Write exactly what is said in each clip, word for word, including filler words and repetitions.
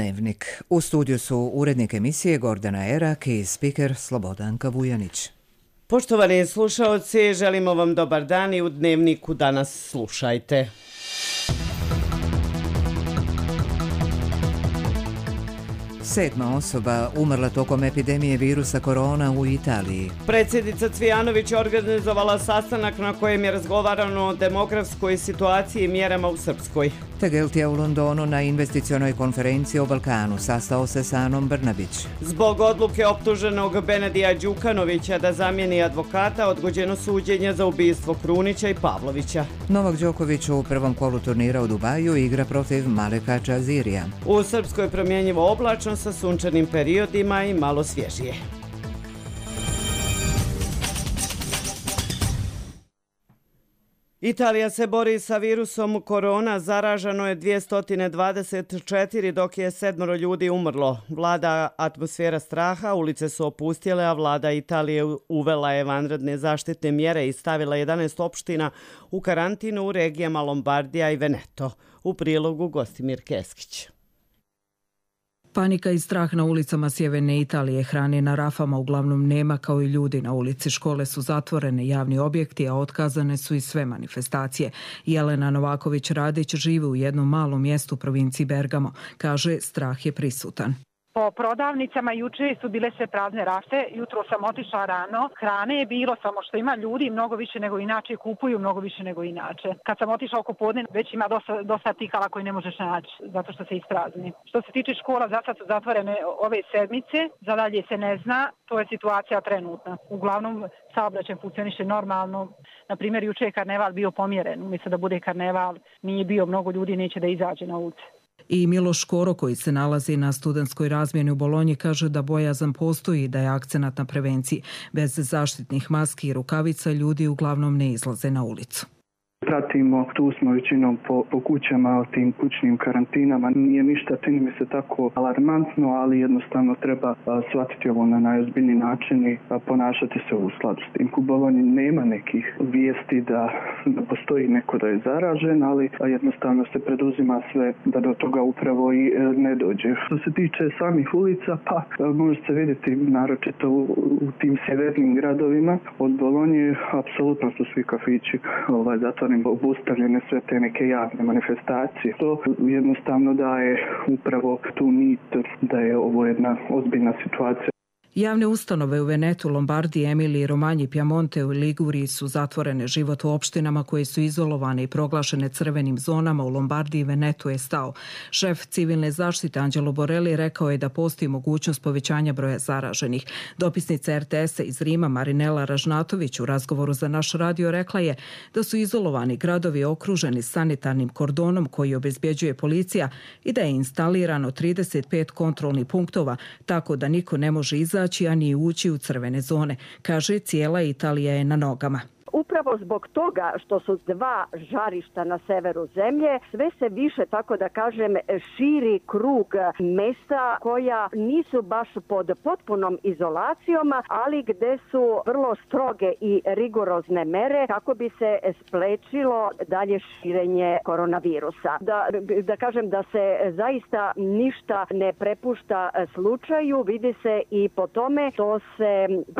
Dnevnik. U studiju su urednik emisije Gordana Erak i spiker Slobodanka Vujanić. Poštovani slušaoci, želimo vam dobar dan i u Dnevniku danas slušajte. Sedma osoba umrla tokom epidemije virusa korona u Italiji. Predsjednica Cvijanović organizovala sastanak na kojem je razgovarano o demografskoj situaciji i mjerama u Srpskoj. Tegelt je u Londonu na investicionoj konferenciji o Balkanu sastao se sa Anom Brnabić. Zbog odluke optuženog Benedija Đukanovića da zamijeni advokata, odgođeno suđenje za ubistvo Krunića i Pavlovića. Novak Đoković u prvom kolu turnira u Dubaju igra protiv Maleka Čazirija. U Srpskoj promjenjivo oblačno sa sunčanim periodima i malo svježije. Italija se bori sa virusom korona, zaraženo je dvjesto dvadeset četiri dok je sedmoro ljudi umrlo. Vlada atmosfera straha, ulice su opustjele, a vlada Italije uvela je vanredne zaštitne mjere i stavila jedanaest opština u karantinu u regijama Lombardija i Veneto. U prilogu Gostimir Keskić. Panika i strah na ulicama sjeverne Italije, hrane na rafama uglavnom nema kao i ljudi na ulici. Škole su zatvorene, javni objekti, a otkazane su i sve manifestacije. Jelena Novaković-Radić živi u jednom malom mjestu u provinciji Bergamo. Kaže, strah je prisutan. Po prodavnicama juče su bile sve prazne rafe, jutro sam otišla rano, hrane je bilo, samo što ima ljudi mnogo više nego inače, kupuju mnogo više nego inače. Kad sam otišla oko podne, već ima dosta, dosta artikala koji ne možeš naći, zato što se isprazni. Što se tiče škola, za sad su zatvorene ove sedmice, za dalje se ne zna, to je situacija trenutna. Uglavnom, saobraćaj funkcioniše normalno. Na primjer, juče je karneval bio pomjeren, umjesto da bude karneval, nije bio mnogo ljudi, neće da izađe na ulicu. I Miloš Škoro, koji se nalazi na studentskoj razmjeni u Bolonji, kaže da bojazan postoji i da je akcenat na prevenciji. Bez zaštitnih maski i rukavica ljudi uglavnom ne izlaze na ulicu. Pratimo, tu smo većinom po, po kućama, tim kućnim karantinama. Nije ništa, čini mi se tako alarmantno, ali jednostavno treba a, shvatiti ovo na najozbiljniji način i a, ponašati se u skladu s tim. U Bolonji nema nekih vijesti da, da postoji neko da je zaražen, ali a, jednostavno se preduzima sve da do toga upravo i e, ne dođe. Što se tiče samih ulica, pa a, može se vidjeti naročito u, u tim sjevernim gradovima od Bolonje, apsolutno su svi kafići ovaj, zatvoreni, obustavljene sve te neke javne manifestacije. To jednostavno daje upravo tu nit da je ovo jedna ozbiljna situacija. Javne ustanove u Venetu, Lombardiji, Emiliji, Romanji, Piemonte i Liguriji su zatvorene. Život u opštinama koje su izolovane i proglašene crvenim zonama u Lombardiji i Venetu je stao. Šef civilne zaštite Anđelo Borelli rekao je da postoji mogućnost povećanja broja zaraženih. Dopisnica er te esa iz Rima Marinela Ražnatović u razgovoru za naš radio rekla je da su izolovani gradovi okruženi sanitarnim kordonom koji obezbjeđuje policija i da je instalirano trideset pet kontrolnih punktova, tako da niko ne može izaći a ni ući u crvene zone. Kaže, cijela Italija je na nogama. Upravo zbog toga što su dva žarišta na severu zemlje, sve se više, tako da kažem, širi krug mesta koja nisu baš pod potpunom izolacijom, ali gde su vrlo stroge i rigorozne mere kako bi se sprečilo dalje širenje koronavirusa. Da, da kažem da se zaista ništa ne prepušta slučaju, vidi se i po tome to se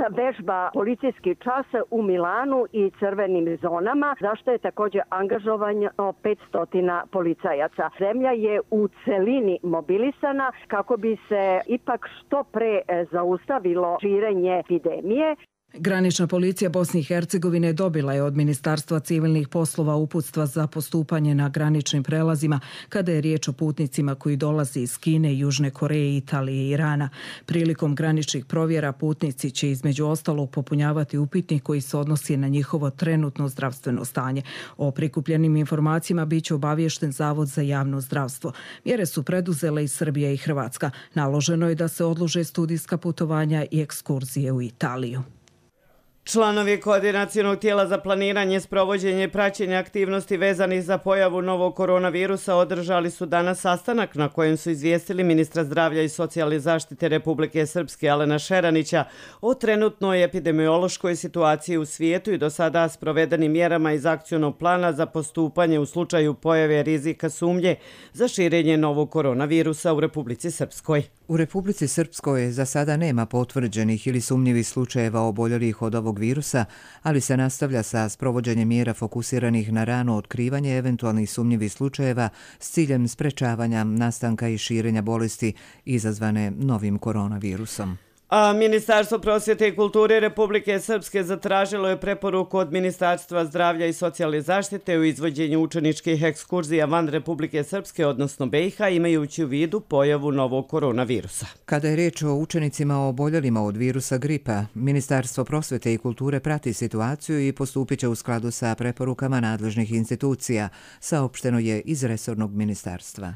vežba policijski čas u Milanu i i crvenim zonama, zašto je također angažovano petsto policajaca. Zemlja je u celini mobilisana kako bi se ipak što pre zaustavilo širenje epidemije. Granična policija Bosne i Hercegovine dobila je od Ministarstva civilnih poslova uputstva za postupanje na graničnim prelazima kada je riječ o putnicima koji dolaze iz Kine, Južne Koreje, Italije i Irana. Prilikom graničnih provjera putnici će između ostalog popunjavati upitnik koji se odnosi na njihovo trenutno zdravstveno stanje. O prikupljenim informacijama bit će obaviješten Zavod za javno zdravstvo. Mjere su preduzele i Srbija i Hrvatska. Naloženo je da se odlože studijska putovanja i ekskurzije u Italiju. Članovi koordinacionog tijela za planiranje, sprovođenje i praćenje aktivnosti vezanih za pojavu novog koronavirusa održali su danas sastanak na kojem su izvijestili ministra zdravlja i socijalne zaštite Republike Srpske Alena Šeranića o trenutnoj epidemiološkoj situaciji u svijetu i do sada sprovedenim mjerama iz akcionog plana za postupanje u slučaju pojave rizika sumnje za širenje novog koronavirusa u Republici Srpskoj. U Republici Srpskoj za sada nema potvrđenih ili sumnjivih slučajeva oboljelih od ovog virusa, ali se nastavlja sa sprovođenjem mjera fokusiranih na rano otkrivanje eventualnih sumnjivih slučajeva s ciljem sprečavanja nastanka i širenja bolesti izazvane novim koronavirusom. A Ministarstvo prosvjete i kulture Republike Srpske zatražilo je preporuku od Ministarstva zdravlja i socijalne zaštite u izvođenju učeničkih ekskurzija van Republike Srpske, odnosno B i H, imajući u vidu pojavu novog koronavirusa. Kada je riječ o učenicima oboljelima od virusa gripa, Ministarstvo prosvjete i kulture prati situaciju i postupit će u skladu sa preporukama nadležnih institucija, saopšteno je iz resornog ministarstva.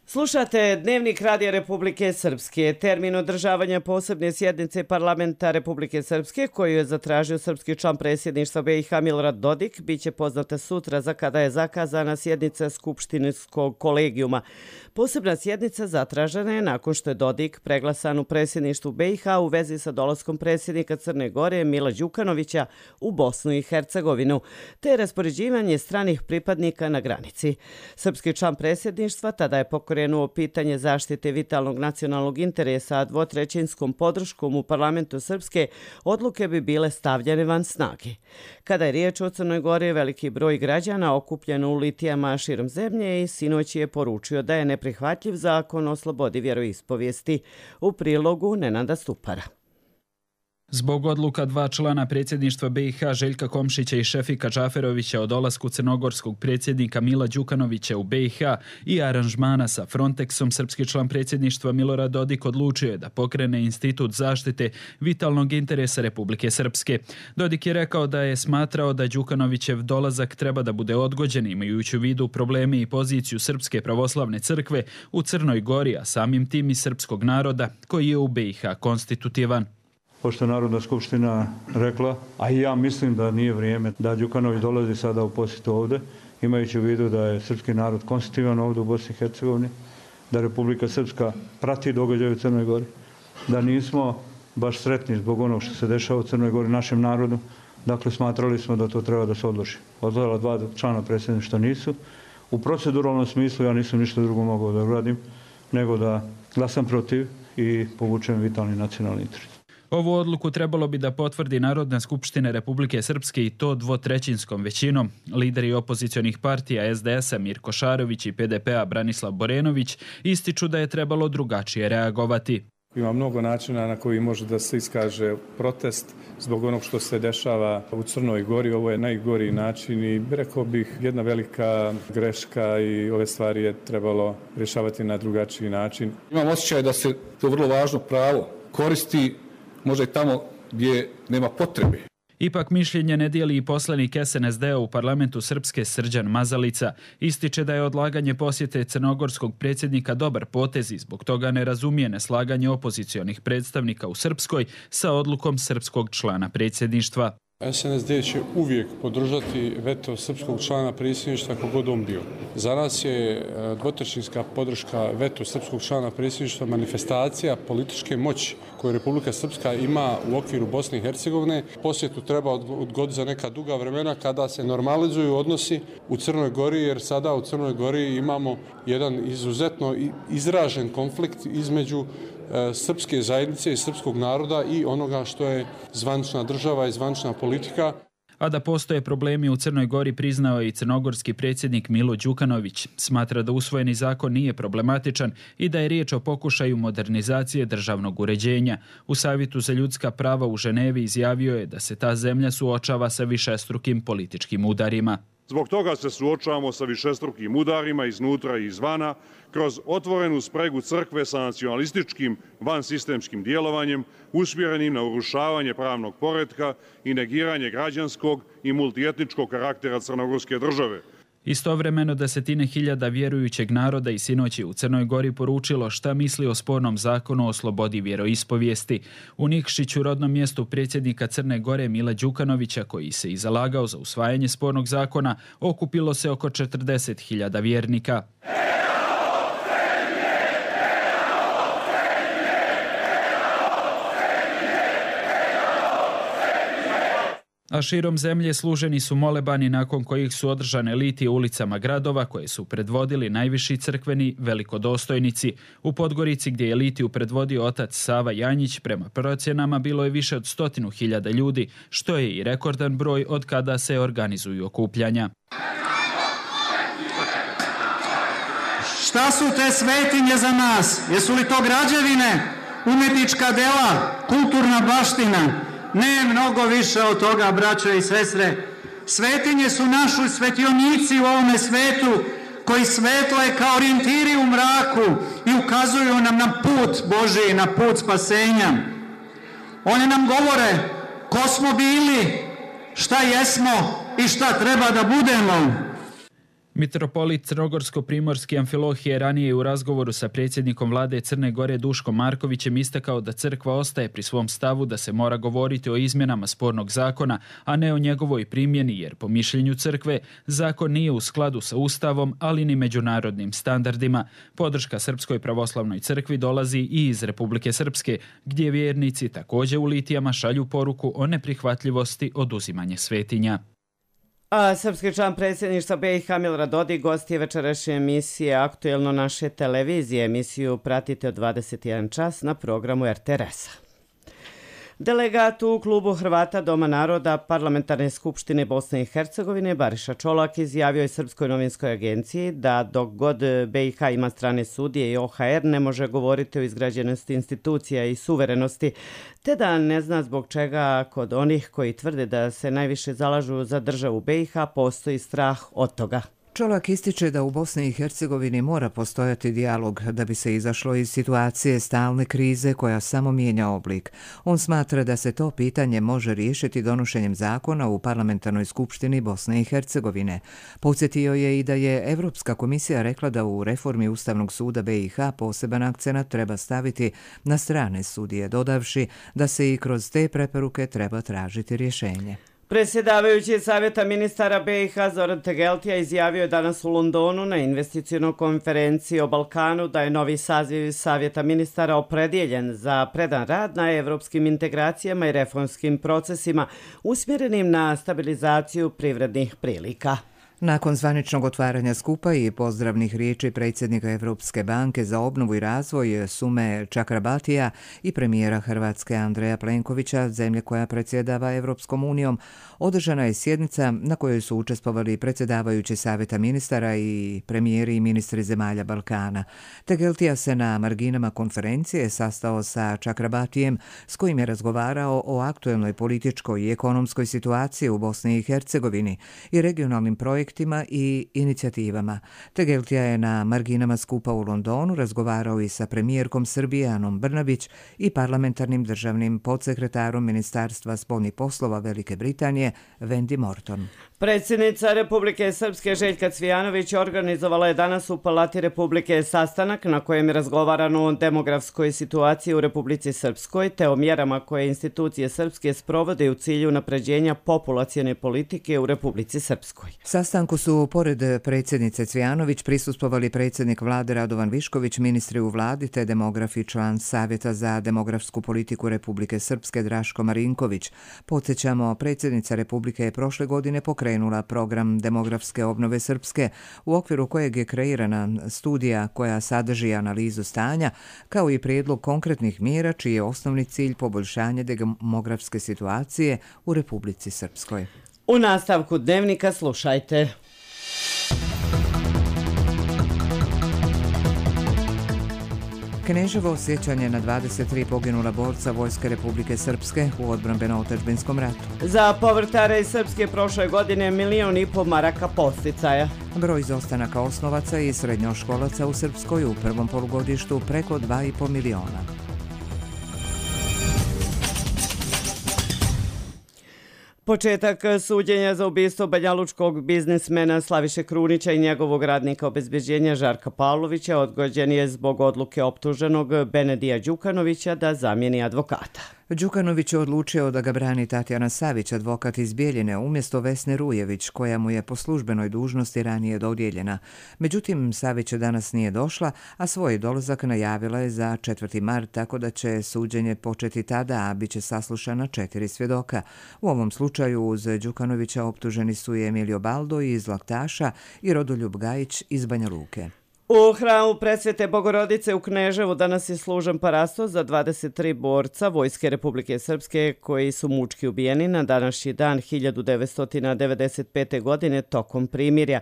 Slušate Dnevnik Radija Republike Srpske. Termin održavanja posebne sjednice parlamenta Republike Srpske, koju je zatražio srpski član predsjedništva B i H Milorad Dodik, bit će poznata sutra za kada je zakazana sjednica Skupštinskog kolegijuma. Posebna sjednica zatražena je nakon što je Dodik preglasan u predsjedništvu B i H u vezi sa dolaskom predsjednika Crne Gore Mila Đukanovića u Bosnu i Hercegovinu, te raspoređivanje stranih pripadnika na granici. Srpski član predsjedništva tada je pokrenuo pitanje zaštite vitalnog nacionalnog interesa, a dvotrećinskom podrškom u parlamentu Srpske odluke bi bile stavljene van snage. Kada je riječ o Crnoj Gori, veliki broj građana okupljen u litijama širom zemlje i sinoć je poručio da je neprihvatljiv zakon o slobodi vjeroispovijesti. U prilogu Nenada Stupara. Zbog odluka dva člana predsjedništva B i H Željka Komšića i Šefika Džaferovića o dolasku crnogorskog predsjednika Mila Đukanovića u B i H i aranžmana sa Frontexom, srpski član predsjedništva Milorad Dodik odlučio je da pokrene institut zaštite vitalnog interesa Republike Srpske. Dodik je rekao da je smatrao da Đukanovićev dolazak treba da bude odgođen, imajući u vidu probleme i poziciju Srpske pravoslavne crkve u Crnoj Gori, a samim tim i srpskog naroda koji je u B i H konstitutivan. Pošto je Narodna skupština rekla, a i ja mislim da nije vrijeme da Đukanović dolazi sada u posjetu ovdje, imajući u vidu da je srpski narod konstitutivan ovdje u Bosni i Hercegovini, da Republika Srpska prati događaje u Crnoj Gori, da nismo baš sretni zbog onog što se dešava u Crnoj Gori našem narodu, dakle smatrali smo da to treba da se odloži. Odložila dva člana predsjedništva nisu. U proceduralnom smislu ja nisam ništa drugo mogao da uradim, nego da glasam protiv i povučem vitalni nacionalni interes. Ovu odluku trebalo bi da potvrdi Narodna skupština Republike Srpske i to dvotrećinskom većinom. Lideri opozicionih partija S D S-a Mirko Šarović i P D P-a Branislav Borenović ističu da je trebalo drugačije reagovati. Ima mnogo načina na koji može da se iskaže protest zbog onog što se dešava u Crnoj Gori. Ovo je najgori način i rekao bih jedna velika greška i ove stvari je trebalo rješavati na drugačiji način. Imam osjećaj da se to vrlo važno pravo koristi možda i tamo gdje nema potrebe. Ipak mišljenje ne dijeli i poslanik S N S D-a u parlamentu Srpske Srđan Mazalica. Ističe da je odlaganje posjete crnogorskog predsjednika dobar potez i zbog toga ne razumije neslaganje opozicionih predstavnika u Srpskoj sa odlukom srpskog člana predsjedništva. S N S D će uvijek podržati veto srpskog člana predsjedništva kogod on bio. Za nas je dvotrećinska podrška veto srpskog člana predsjedništva manifestacija političke moći koju Republika Srpska ima u okviru Bosne i Hercegovine. Posjetu treba odgoditi za neka duga vremena kada se normalizuju odnosi u Crnoj Gori, jer sada u Crnoj Gori imamo jedan izuzetno izražen konflikt između srpske zajednice i srpskog naroda i onoga što je zvanična država i zvanična politika. A da postoje problemi u Crnoj Gori priznao je i crnogorski predsjednik Milo Đukanović. Smatra da usvojeni zakon nije problematičan i da je riječ o pokušaju modernizacije državnog uređenja. U Savjetu za ljudska prava u Ženevi izjavio je da se ta zemlja suočava sa višestrukim političkim udarima. Zbog toga se suočavamo sa višestrukim udarima iznutra i izvana, kroz otvorenu spregu crkve sa nacionalističkim vansistemskim djelovanjem, usmjerenim na urušavanje pravnog poretka i negiranje građanskog i multietničkog karaktera crnogorske države. Istovremeno desetine hiljada vjerujućeg naroda i sinoć je u Crnoj Gori poručilo šta misli o spornom zakonu o slobodi vjeroispovijesti. U Nikšiću, rodnom mjestu predsjednika Crne Gore Mila Đukanovića, koji se i zalagao za usvajanje spornog zakona, okupilo se oko četrdeset hiljada vjernika. A širom zemlje služeni su molebani nakon kojih su održane litije ulicama gradova koje su predvodili najviši crkveni velikodostojnici. U Podgorici, gdje je litiju predvodio otac Sava Janjić, prema procjenama bilo je više od stotinu hiljada ljudi, što je i rekordan broj od kada se organizuju okupljanja. Šta su te svetinje za nas? Jesu li to građevine, umjetnička dela, kulturna baština? Ne mnogo više od toga, braćo i sestre. Svetinje su naši svetionici u ovome svetu koji svetle kao orijentiri u mraku i ukazuju nam na put Božiji, na put spasenja. Oni nam govore ko smo bili, šta jesmo i šta treba da budemo. Mitropolit Crnogorsko-primorski Amfilohije ranije u razgovoru sa predsjednikom vlade Crne Gore Duškom Markovićem istakao da crkva ostaje pri svom stavu da se mora govoriti o izmjenama spornog zakona, a ne o njegovoj primjeni, jer po mišljenju crkve zakon nije u skladu sa Ustavom, ali ni međunarodnim standardima. Podrška Srpskoj pravoslavnoj crkvi dolazi i iz Republike Srpske, gdje vjernici također u litijama šalju poruku o neprihvatljivosti oduzimanja svetinja. A srpski član predsjedništva B i H Milorad Dodik gost je večerašnje emisije Aktuelno naše televizije. Emisiju pratite od dvadeset jedan čas na programu R T R S-a. Delegat u klubu Hrvata Doma naroda Parlamentarne skupštine Bosne i Hercegovine Bariša Čolak izjavio je Srpskoj novinskoj agenciji da dok god B i H ima strane sudije i O H R ne može govoriti o izgrađenosti institucija i suverenosti, te da ne zna zbog čega kod onih koji tvrde da se najviše zalažu za državu B i H postoji strah od toga. Čolak ističe da u Bosni i Hercegovini mora postojati dijalog da bi se izašlo iz situacije stalne krize koja samo mijenja oblik. On smatra da se to pitanje može riješiti donošenjem zakona u Parlamentarnoj skupštini Bosne i Hercegovine. Podsjetio je i da je Evropska komisija rekla da u reformi Ustavnog suda B i H poseban akcenat treba staviti na strane sudije, dodavši da se i kroz te preporuke treba tražiti rješenje. Predsjedavajući Savjeta ministara B i H Zoran Tegeltija izjavio je danas u Londonu na investicionoj konferenciji o Balkanu da je novi saziv Savjeta ministara opredjeljen za predan rad na evropskim integracijama i reformskim procesima usmjerenim na stabilizaciju privrednih prilika. Nakon zvaničnog otvaranja skupa i pozdravnih riječi predsjednika Evropske banke za obnovu i razvoj Sume Čakrabatija i premijera Hrvatske Andreja Plenkovića, zemlje koja predsjedava Evropskom unijom, održana je sjednica na kojoj su učestvovali predsjedavajući Savjeta ministara i premijeri i ministri zemalja Balkana. Tegeltija se na marginama konferencije sastao sa Čakrabatijem, s kojim je razgovarao o aktuelnoj političkoj i ekonomskoj situaciji u Bosni i Hercegovini i regionalnim projektima i inicijativama. Tegeltija je na marginama skupa u Londonu razgovarao i sa premijerkom Srbije Anom Brnabić i parlamentarnim državnim podsekretarom Ministarstva spoljnih poslova Velike Britanije Wendy Morton. Predsjednica Republike Srpske Željka Cvijanović organizovala je danas u Palati Republike sastanak na kojem je razgovarano o demografskoj situaciji u Republici Srpskoj te o mjerama koje institucije srpske sprovode u cilju napređenja populacione politike u Republici Srpskoj. Sastanku su, pored predsjednice Cvijanović, prisustvovali predsjednik vlade Radovan Višković, ministri u vladi te demograf i član Savjeta za demografsku politiku Republike Srpske Draško Marinković. Podsjećamo, predsjednica Republike je prošle godine pokrenula program demografske obnove Srpske, u okviru kojeg je kreirana studija koja sadrži analizu stanja, kao i prijedlog konkretnih mjera čiji je osnovni cilj poboljšanje demografske situacije u Republici Srpskoj. U nastavku dnevnika slušajte. Kneževo sjećanje na dvadeset tri poginula borca Vojske Republike Srpske u odbrambeno-otadžbinskom ratu. Za povrtare iz Srpske prošle godine milion i po maraka posticaja. Broj izostanaka osnovaca i srednjoškolaca u Srpskoj u prvom polugodištu preko dva i po miliona. Početak suđenja za ubistvo banjalučkog biznismena Slaviše Krunića i njegovog radnika obezbeđenja Žarka Pavlovića odgođen je zbog odluke optuženog Benedija Đukanovića da zamijeni advokata. Đukanović je odlučio da ga brani Tatjana Savić, advokat iz Bijeljine, umjesto Vesne Rujević, koja mu je po službenoj dužnosti ranije dodijeljena. Međutim, Savić danas nije došla, a svoj dolazak najavila je za četvrti mart, tako da će suđenje početi tada, a bit će saslušana četiri svjedoka. U ovom slučaju uz Đukanovića optuženi su i Emilio Baldo iz Laktaša i Rodoljub Gajić iz Banja Luke. U hramu Presvete Bogorodice u Kneževu danas je služen parastos za dvadeset tri borca Vojske Republike Srpske koji su mučki ubijeni na današnji dan hiljadu devetsto devedeset pete. godine tokom primirja.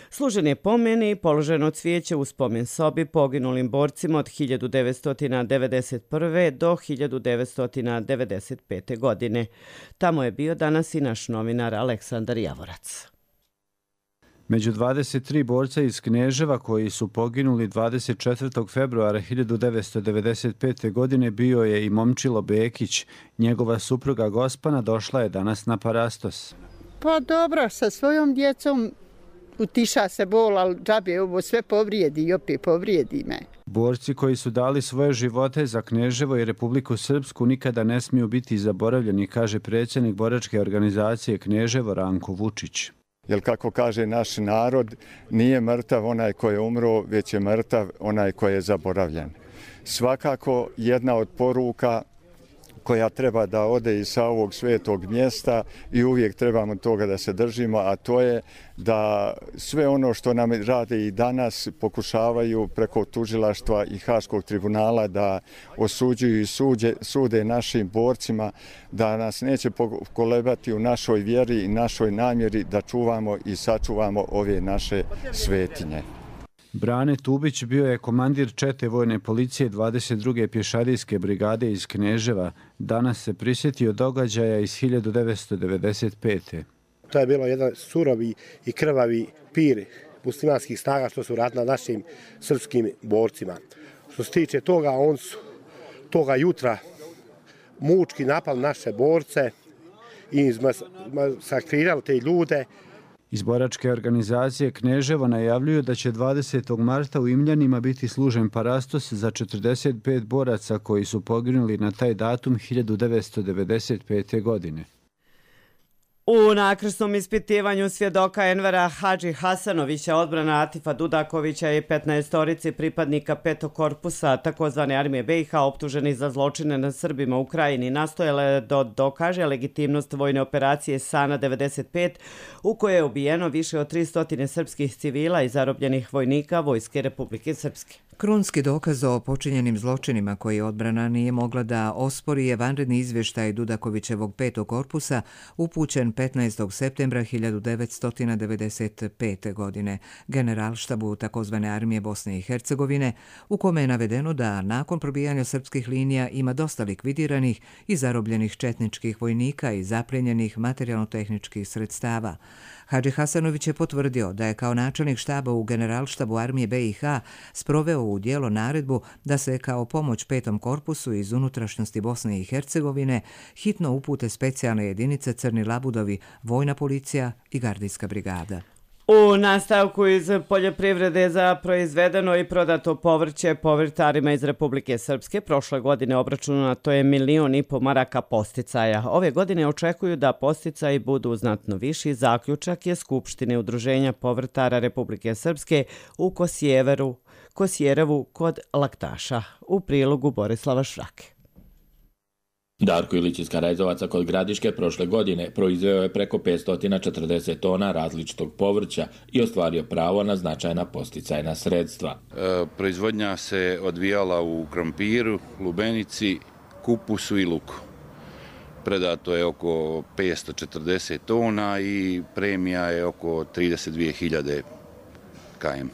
Služen je pomen i položeno cvijeće u spomen sobi poginulim borcima od hiljadu devetsto devedeset prve. do hiljadu devetsto devedeset pete. godine. Tamo je bio danas i naš novinar Aleksandar Javorac. Među dvadeset tri borca iz Kneževa koji su poginuli dvadeset četvrtog februara hiljadu devetsto devedeset pete. godine bio je i Momčilo Bekić. Njegova supruga Gospana došla je danas na parastos. Pa dobro, sa svojom djecom utiša se bol, ali džabe ovo sve povrijedi i opet povrijedi me. Borci koji su dali svoje živote za Kneževo i Republiku Srpsku nikada ne smiju biti zaboravljeni, kaže predsjednik boračke organizacije Kneževo Ranko Vučić. Jer kako kaže naš narod, nije mrtav onaj ko je umro, već je mrtav onaj ko je zaboravljen. Svakako jedna od poruka koja treba da ode i sa ovog svetog mjesta i uvijek trebamo toga da se držimo, a to je da sve ono što nam rade i danas pokušavaju preko tužilaštva i Haškog tribunala da osuđuju i suđe, sude našim borcima, da nas neće pokolebati u našoj vjeri i našoj namjeri da čuvamo i sačuvamo ove naše svetinje. Brane Tubić bio je komandir čete vojne policije dvadeset druge pješadijske brigade iz Kneževa. Danas se prisjetio događaja iz hiljadu devetsto devedeset pete. To je bilo jedan surovi i krvavi pir muslimanskih snaga što su radili na našim srpskim borcima. Što se tiče toga, on su toga jutra mučki napali naše borce i masakrirali te ljude. Iz boračke organizacije Kneževo najavljuju da će dvadesetog marta u Imljanima biti služen parastos za četrdeset pet boraca koji su poginuli na taj datum hiljadu devetsto devedeset pete. godine. U nakrsnom ispitivanju svjedoka Envera Hadži Hasanovića, odbrana Atifa Dudakovića i petnaestorici pripadnika petog korpusa takozvane armije B i H optuženi za zločine nad Srbima u Krajini nastojale da dokaže legitimnost vojne operacije Sana devedeset pet u kojoj je ubijeno više od tristo srpskih civila i zarobljenih vojnika Vojske Republike Srpske. Krunski dokaz o počinjenim zločinima koji odbrana nije mogla da ospori je vanredni izvještaj Dudakovićevog petog korpusa upućen petnaestog septembra hiljadu devetsto devedeset pete. godine Generalštabu takozvane armije Bosne i Hercegovine, u kome je navedeno da nakon probijanja srpskih linija ima dosta likvidiranih i zarobljenih četničkih vojnika i zapljenjenih materijalno-tehničkih sredstava. Hadži Hasanović je potvrdio da je kao načelnik štaba u Generalštabu armije B i H sproveo u djelo naredbu da se kao pomoć petom korpusu iz unutrašnjosti Bosne i Hercegovine hitno upute specijalne jedinice Crni Labudovi, vojna policija i gardijska brigada. U nastavku iz poljoprivrede za proizvedeno i prodato povrće povrtarima iz Republike Srpske prošle godine obračunato je milion i po maraka posticaja. Ove godine očekuju da posticaji budu znatno viši. Zaključak je Skupštine Udruženja povrtara Republike Srpske u Kosjeveru, Kosjerevu kod Laktaša. U prilogu Borislava Šrake. Darko Ilić iz Karajzovaca kod Gradiške prošle godine proizveo je preko petsto četrdeset tona različitog povrća i ostvario pravo na značajna posticajna sredstva. E, proizvodnja se odvijala u krompiru, lubenici, kupusu i luku. Predato je oko petsto četrdeset tona i premija je oko trideset dvije hiljade km.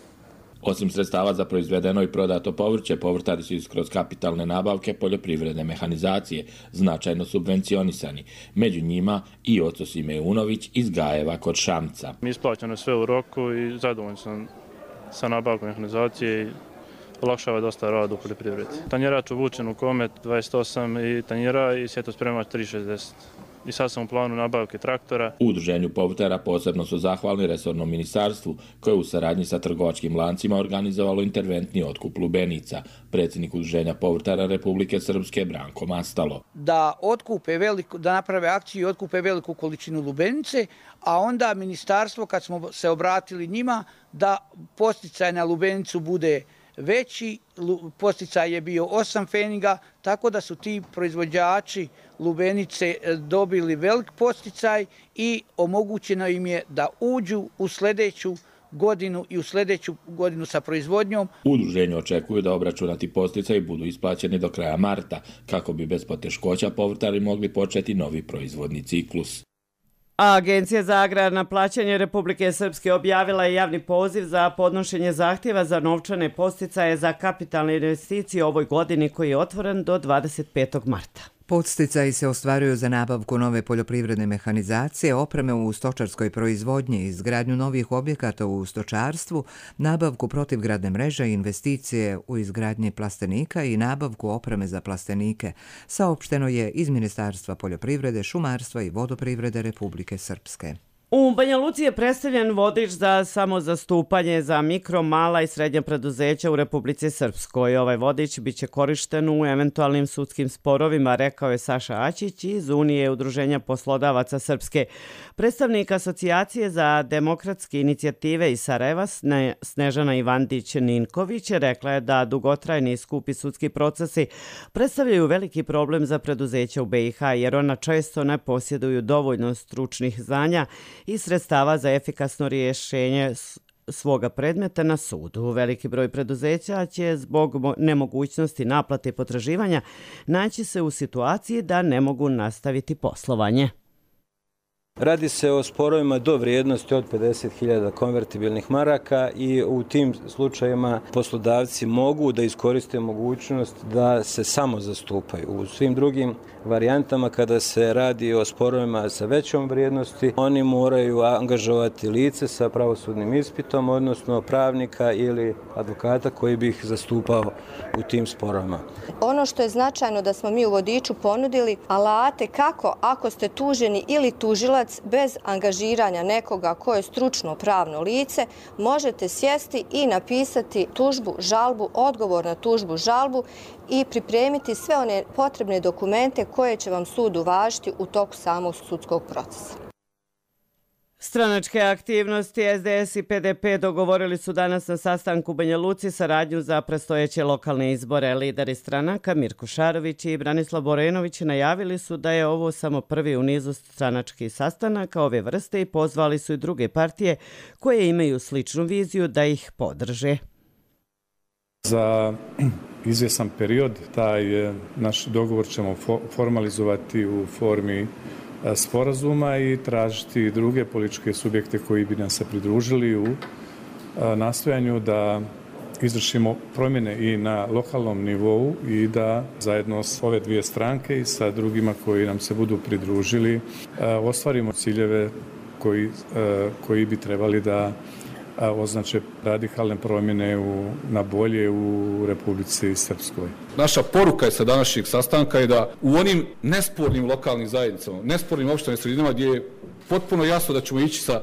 Osim sredstava za proizvedeno i prodato povrće, povrtari su kroz kapitalne nabavke poljoprivredne mehanizacije značajno subvencionisani. Među njima i oco Sime Unović iz Gajeva kod Šamca. Isplaćeno sve u roku i zadovoljno sam sa nabavkom mehanizacije i olakšava dosta rada u poljoprivredi. Tanjerač uvučen u Komet dvadeset osam i tanjera i sjetospremač tri šezdeset. i sad sam u planu nabavke traktora. U udruženju povrtara posebno su zahvalni resornom ministarstvu koje u saradnji sa trgovačkim lancima organizovalo interventni otkup lubenica. Predsjednik udruženja povrtara Republike Srpske Branko Mastalo. Da otkupe veliku, da naprave akciju i otkupe veliku količinu lubenice, a onda ministarstvo kad smo se obratili njima da posticaj na lubenicu bude veći, posticaj je bio osam pfeniga, tako da su ti proizvođači lubenice dobili velik posticaj i omogućeno im je da uđu u sljedeću godinu i u sljedeću godinu sa proizvodnjom. U udruženju očekuju da obračunati posticaji budu isplaćeni do kraja marta, kako bi bez poteškoća povrtari mogli početi novi proizvodni ciklus. A Agencija za agrarna plaćanje Republike Srpske objavila je javni poziv za podnošenje zahtjeva za novčane posticaje za kapitalne investicije u ovoj godini koji je otvoren do dvadeset petog marta. Podsticaji se ostvaruju za nabavku nove poljoprivredne mehanizacije, opreme u stočarskoj proizvodnji, izgradnju novih objekata u stočarstvu, nabavku protivgradne mreže, investicije u izgradnji plastenika i nabavku opreme za plastenike, saopšteno je iz Ministarstva poljoprivrede, šumarstva i vodoprivrede Republike Srpske. U Banja Luci je predstavljen vodič za samozastupanje za mikro, mala i srednja preduzeća u Republici Srpskoj. Ovaj vodič biće korišten u eventualnim sudskim sporovima, rekao je Saša Aćić iz Unije udruženja poslodavaca Srpske. Predstavnik Asocijacije za demokratske inicijative iz Sarajeva, Snežana Ivandić-Ninković, rekla je da dugotrajni i skupi sudski procesi predstavljaju veliki problem za preduzeća u B i H, jer ona često ne posjeduju dovoljno stručnih znanja i sredstava za efikasno rješenje svoga predmeta na sudu. Veliki broj preduzeća će zbog nemogućnosti naplate potraživanja naći se u situaciji da ne mogu nastaviti poslovanje. Radi se o sporovima do vrijednosti od pedeset hiljada konvertibilnih maraka i u tim slučajevima poslodavci mogu da iskoriste mogućnost da se samo zastupaju. U svim drugim varijantama kada se radi o sporovima sa većom vrijednosti, oni moraju angažovati lice sa pravosudnim ispitom, odnosno pravnika ili advokata koji bi ih zastupao u tim sporovima. Ono što je značajno da smo mi u vodiču ponudili alate kako ako ste tuženi ili tužilac bez angažiranja nekoga ko je stručno pravno lice, možete sjesti i napisati tužbu, žalbu, odgovor na tužbu, žalbu i pripremiti sve one potrebne dokumente koje će vam sud uvažiti u toku samog sudskog procesa. Stranačke aktivnosti S D S i P D P dogovorili su danas na sastanku u Banja Luci saradnju za predstojeće lokalne izbore. Lideri stranaka Mirko Šarović i Branislav Borenović najavili su da je ovo samo prvi u nizu stranačkih sastanaka ove vrste i pozvali su i druge partije koje imaju sličnu viziju da ih podrže. Za izvjesan period taj naš dogovor ćemo formalizovati u formi sporazuma i tražiti druge političke subjekte koji bi nam se pridružili u nastojanju da izvršimo promjene i na lokalnom nivou i da zajedno s ove dvije stranke i sa drugima koji nam se budu pridružili ostvarimo ciljeve koji, koji bi trebali da označe radikalne promjene u, na bolje u Republici Srpskoj. Naša poruka je sa današnjeg sastanka je da u onim nespornim lokalnim zajednicama, nespornim opštanim sredinama gdje je potpuno jasno da ćemo ići sa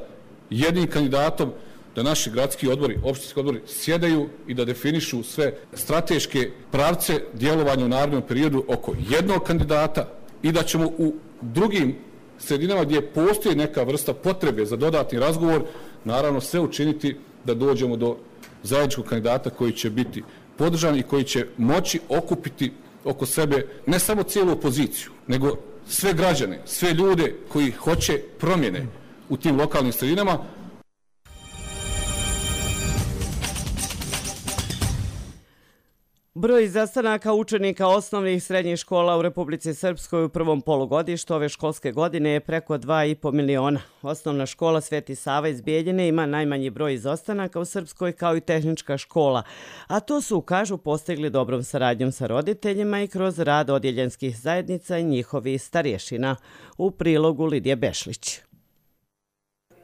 jednim kandidatom, da naši gradski odbori, opštinski odbori sjedaju i da definišu sve strateške pravce djelovanja u narednom periodu oko jednog kandidata i da ćemo u drugim sredinama gdje postoji neka vrsta potrebe za dodatni razgovor, naravno sve učiniti da dođemo do zajedničkog kandidata koji će biti podržan i koji će moći okupiti oko sebe ne samo cijelu opoziciju, nego sve građane, sve ljude koji hoće promjene u tim lokalnim sredinama. Broj zastanaka učenika osnovnih i srednjih škola u Republici Srpskoj u prvom polugodištu ove školske godine je preko dva i po miliona. Osnovna škola Sveti Sava iz Bijeljine ima najmanji broj izostanaka u Srpskoj kao i tehnička škola, a to su, kažu, postigli dobrom saradnjom sa roditeljima i kroz rad odjeljenskih zajednica i njihovih starješina. U prilogu Lidije Bešlić.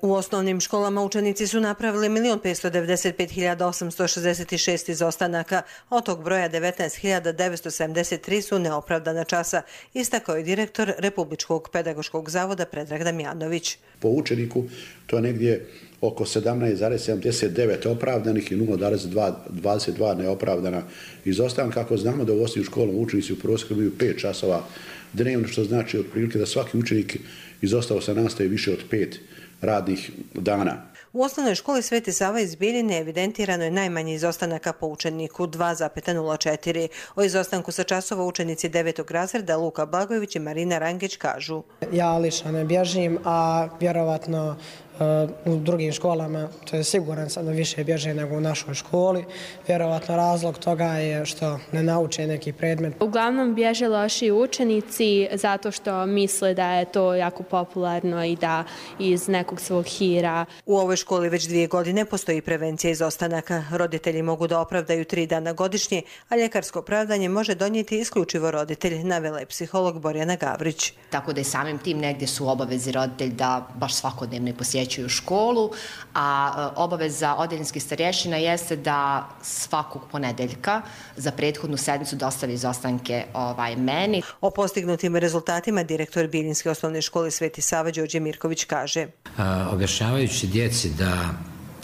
U osnovnim školama učenici su napravili milion petsto devedeset pet hiljada osamsto šezdeset šest izostanaka, od tog broja devetnaest hiljada devetsto sedamdeset tri su neopravdana časa, istakao je direktor Republičkog pedagoškog zavoda Predrag Damjanović. Po učeniku to je negdje oko sedamnaest zarez sedamdeset devet opravdanih i nula zarez dvadeset dva neopravdana izostanka. Ako znamo da u osnovnim školama učenici u prosjeku imaju pet časova dnevno, što znači otprilike da svaki učenik izostao sa nastave više od pet radnih dana. U osnovnoj školi Sveti Sava iz Bijeljine evidentirano je najmanje izostanaka po učeniku dva zarez nula četiri. O izostanku sa časova učenici devetog razreda Luka Blagojević i Marina Rangić kažu. Ja lično ne bježim, a vjerovatno u drugim školama, to je siguran sam da više bježe nego u našoj školi. Vjerovatno razlog toga je što ne nauče neki predmet. Uglavnom bježe loši učenici zato što misle da je to jako popularno i da iz nekog svog hira. U ovoj školi već dvije godine postoji prevencija izostanaka. Roditelji mogu da opravdaju tri dana godišnje, a ljekarsko opravdanje može donijeti isključivo roditelj, navela je psiholog Borjana Gavrić. Tako da i samim tim negdje su obavezi roditelj da baš svakodnevno posjećuju u školu, a obaveza odeljinskih starješina jeste da svakog ponedeljka za prethodnu sedmicu dostavi izostanke ovaj, meni. O postignutim rezultatima direktor Bijeljinske osnovne škole Sveti Sava Đorđe Mirković kaže. A, objašnjavajući djeci da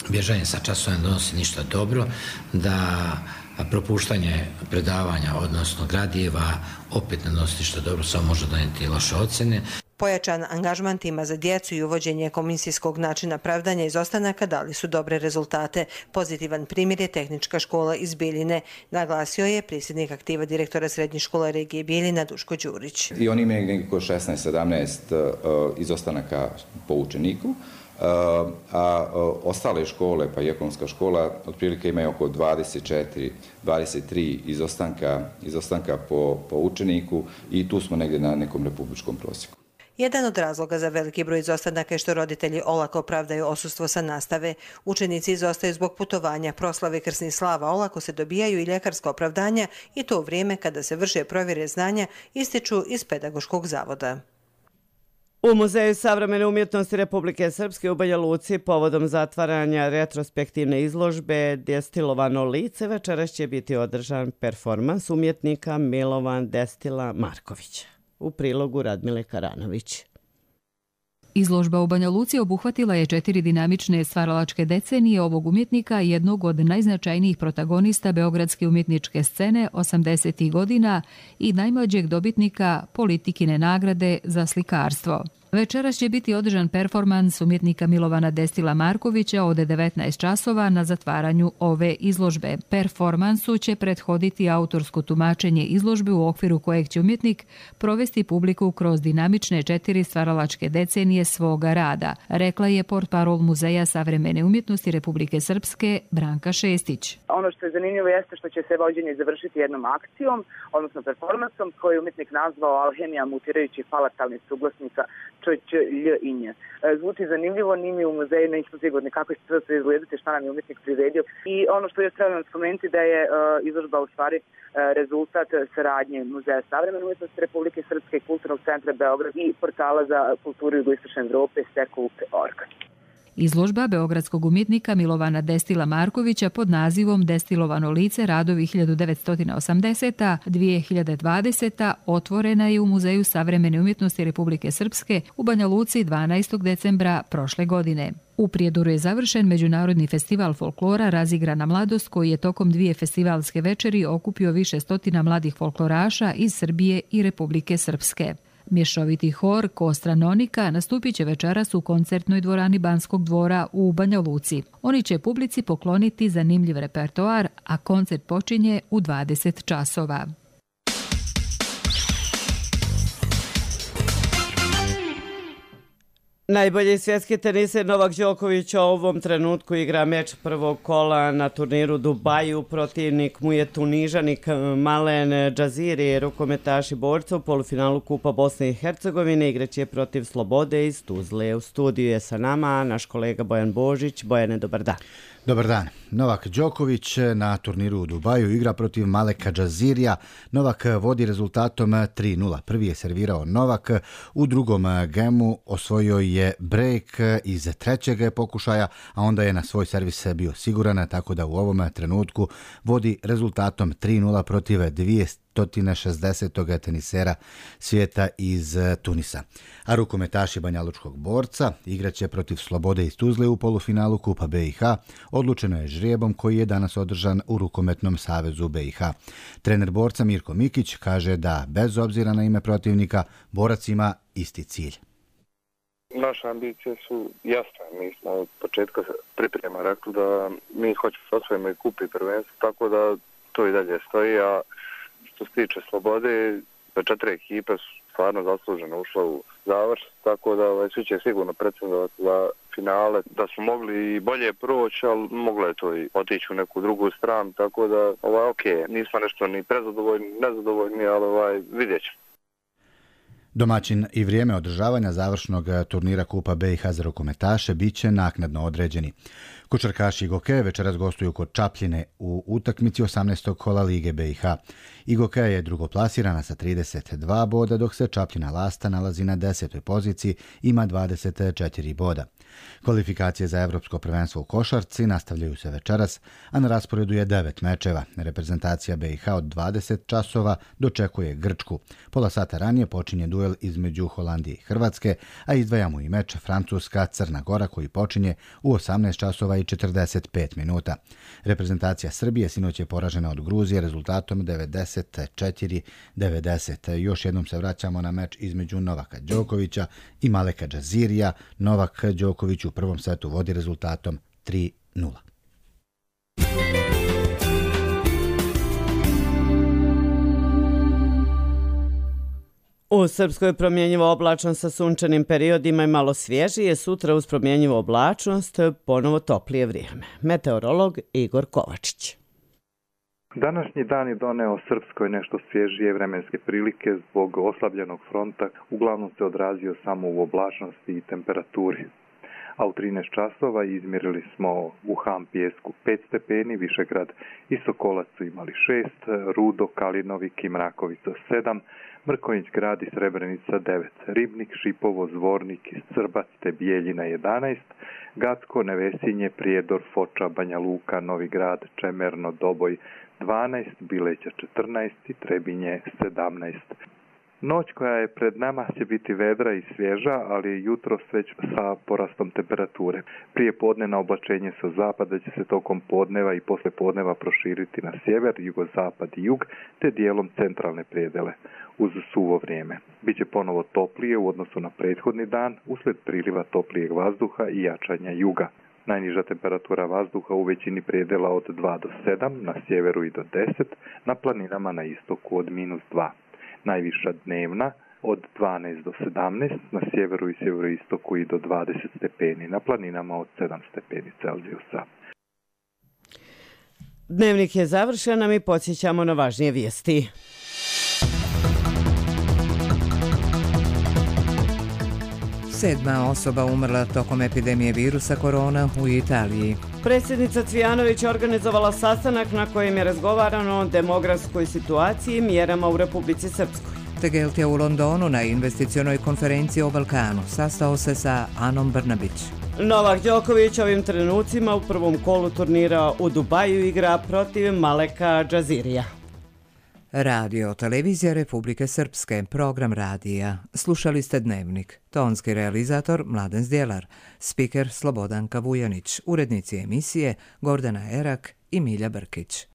bježanje sa časova ne donosi ništa dobro, da propuštanje predavanja, odnosno gradiva, opet ne donosi ništa dobro, samo može donijeti loše ocjene. Pojačan angažman tima za djecu i uvođenje komisijskog načina pravdanja izostanaka dali su dobre rezultate. Pozitivan primjer je tehnička škola iz Bijeljine, naglasio je predsjednik aktiva direktora srednje škole regije Bijeljina Duško Đurić. I oni imaju nekako šesnaest sedamnaest izostanaka po učeniku, a ostale škole, pa i ekonomska škola, otprilike imaju oko dvadeset četiri dvadeset tri izostanka, izostanka po, po učeniku i tu smo negdje na nekom republičkom prosjeku. Jedan od razloga za veliki broj izostanaka je što roditelji olako opravdaju odsustvo sa nastave. Učenici izostaju zbog putovanja, proslave krsnih slava, olako se dobijaju i ljekarska opravdanja i to u vrijeme kada se vrše provjere znanja, ističu iz Pedagoškog zavoda. U Muzeju savremene umjetnosti Republike Srpske u Banja Luci povodom zatvaranja retrospektivne izložbe Destilovano lice večeras će biti održan performans umjetnika Milovan Destila Markovića. U prilogu Radmile Karanović. Izložba u Banja Luci obuhvatila je četiri dinamične stvaralačke decenije ovog umjetnika, jednog od najznačajnijih protagonista beogradske umjetničke scene osamdesetih godina i najmlađeg dobitnika Politikine nagrade za slikarstvo. Večeras će biti održan performans umjetnika Milovana Destila Markovića od devetnaest časova na zatvaranju ove izložbe. Performansu će prethoditi autorsko tumačenje izložbe u okviru kojeg će umjetnik provesti publiku kroz dinamične četiri stvaralačke decenije svoga rada, rekla je portparol Muzeja savremene umjetnosti Republike Srpske Branka Šestić. Ono što je zanimljivo jeste što će se vođenje završiti jednom akcijom, odnosno performansom, koji je umjetnik nazvao Alhemija mutirajućih palatalnih suglasnika Č, Č, Lj i Nj. Zvuči zanimljivo, ni mi u muzeju nismo sigurni kako će to izgledati, šta nam je umjetnik priredio. I ono što je trebalo spomenuti da je uh, izložba u stvari uh, rezultat saradnje Muzeja savremene umjetnosti Republike Srpske, Kulturnog centra Beograd i portala za kulturu jugoistočne Evrope Sekup punkt org. Izložba beogradskog umjetnika Milovana Destila Markovića pod nazivom Destilovano lice radovi hiljadu devetsto osamdesete do dvije hiljade dvadesete otvorena je u Muzeju savremene umjetnosti Republike Srpske u Banja Luci dvanaestog decembra prošle godine. U Prijedoru je završen Međunarodni festival folklora Razigrana mladost, koji je tokom dvije festivalske večeri okupio više stotina mladih folkloraša iz Srbije i Republike Srpske. Mješoviti hor Kostra Nonika nastupit će večeras u koncertnoj dvorani Banskog dvora u Banja Luci. Oni će publici pokloniti zanimljiv repertoar, a koncert počinje u dvadeset časova. Najbolji svjetski teniser Novak Đoković u ovom trenutku igra meč prvog kola na turniru Dubaju. Protivnik mu je Tunižanik Malen Džaziri, rukometaši borca u polufinalu Kupa Bosne i Hercegovine. Igraće protiv Slobode iz Tuzle. U studiju je sa nama naš kolega Bojan Božić. Bojane, dobar dan. Dobar dan. Novak Đoković na turniru u Dubaju igra protiv Maleka Džazirija. Novak vodi rezultatom tri nula. Prvi je servirao Novak, u drugom gemu osvojio je break iz trećeg pokušaja, a onda je na svoj servis bio siguran, tako da u ovom trenutku vodi rezultatom tri nula protiv dvjesto šezdesetog tenisera svijeta iz Tunisa. A rukometaši banjalučkog borca igraće protiv Slobode iz Tuzle u polufinalu Kupa B i H. Odlučeno je žrijebom koji je danas održan u Rukometnom savezu B i H. Trener borca Mirko Mikić kaže da bez obzira na ime protivnika, borac ima isti cilj. Naše ambicije su jasne. Mi smo od početka priprema rekli da mi hoćemo da osvojimo i kup i prvenstvo, tako da to i dalje stoji, a što se tiče Slobode, četiri ekipe su stvarno zasluženo ušle u završ, tako da ovaj, svi će sigurno pretendovati za finale, da su mogli i bolje proći, ali moglo je to i otići u neku drugu stranu, tako da ovaj, ok, nismo nešto ni prezadovoljni, nezadovoljni, ali ovaj, vidjet ćemo. Domaćin i vrijeme održavanja završnog turnira Kupa B i H za rukometaše bit će naknadno određeni. Košarkaši Igoke večeras gostuju kod Čapljine u utakmici osamnaestog kola Lige B i H. Igoke je drugoplasirana sa trideset dva boda, dok se Čapljina Lasta nalazi na desetoj poziciji, ima dvadeset četiri boda. Kvalifikacije za Evropsko prvenstvo u košarci nastavljaju se večeras, a na rasporedu je devet mečeva. Reprezentacija B i H od dvadeset časova dočekuje Grčku. Pola sata ranije počinje duel između Holandije i Hrvatske, a izdvajamo i meč Francuska-Crna Gora koji počinje u osamnaest časova i četrdeset pet minuta. Reprezentacija Srbije sinoć je poražena od Gruzije rezultatom devedeset četiri devedeset. Još jednom se vraćamo na meč između Novaka Đokovića i Maleka Džazirija. Novak Đoković u prvom setu vodi rezultatom tri nula. U Srpskoj promjenjivo oblačno sa sunčanim periodima i malo svježije, sutra uz promjenjivo oblačnost ponovo toplije vrijeme. Meteorolog Igor Kovačić. Današnji dan je doneo Srpskoj nešto svježije vremenske prilike zbog oslabljenog fronta, uglavnom se odrazio samo u oblačnosti i temperaturi. A u trinaest časova izmjerili smo u Ham Pijesku pet stepeni, Višegrad i Sokolac su imali šest, Rudo, Kalinovik i Mrakovica sedam, Mrkonjić Grad i Srebrenica devet, Ribnik, Šipovo, Zvornik i Srbac te Bijeljina jedanaest, Gacko, Nevesinje, Prijedor, Foča, Banja Luka, Novi Grad, Čemerno, Doboj dvanaest, Bileća četrnaest i Trebinje sedamnaest. Noć koja je pred nama će biti vedra i svježa, ali jutro već sa porastom temperature. Prije podnevna oblačenje sa zapada će se tokom podneva i posle podneva proširiti na sjever, jugozapad i jug, te dijelom centralne predele. Uz suvo vrijeme. Biće ponovo toplije u odnosu na prethodni dan, uslijed priliva toplijeg vazduha i jačanja juga. Najniža temperatura vazduha u većini predela od dva do sedam, na sjeveru i do deset, na planinama na istoku od minus dva. Najviša dnevna od dvanaest do sedamnaest, na sjeveru i sjeveroistoku i do dvadeset stepeni, na planinama od sedam stepeni Celzijusa. Dnevnik je završen, a mi podsjećamo na važnije vijesti. Sedma osoba umrla tokom epidemije virusa korona u Italiji. Predsjednica Cvijanović organizovala sastanak na kojem je razgovarano o demografskoj situaciji i mjerama u Republici Srpskoj. Tegelt je u Londonu na investicionoj konferenciji o Balkanu sastao se sa Anom Brnabić. Novak Đoković ovim trenucima u prvom kolu turnira u Dubaju igra protiv Maleka Džazirija. Radio Televizija Republike Srpske, program radija. Slušali ste Dnevnik. Tonski realizator Mladen Zdjelar, spiker Slobodanka Vujanić, urednici emisije Gordana Erak i Milja Brkić.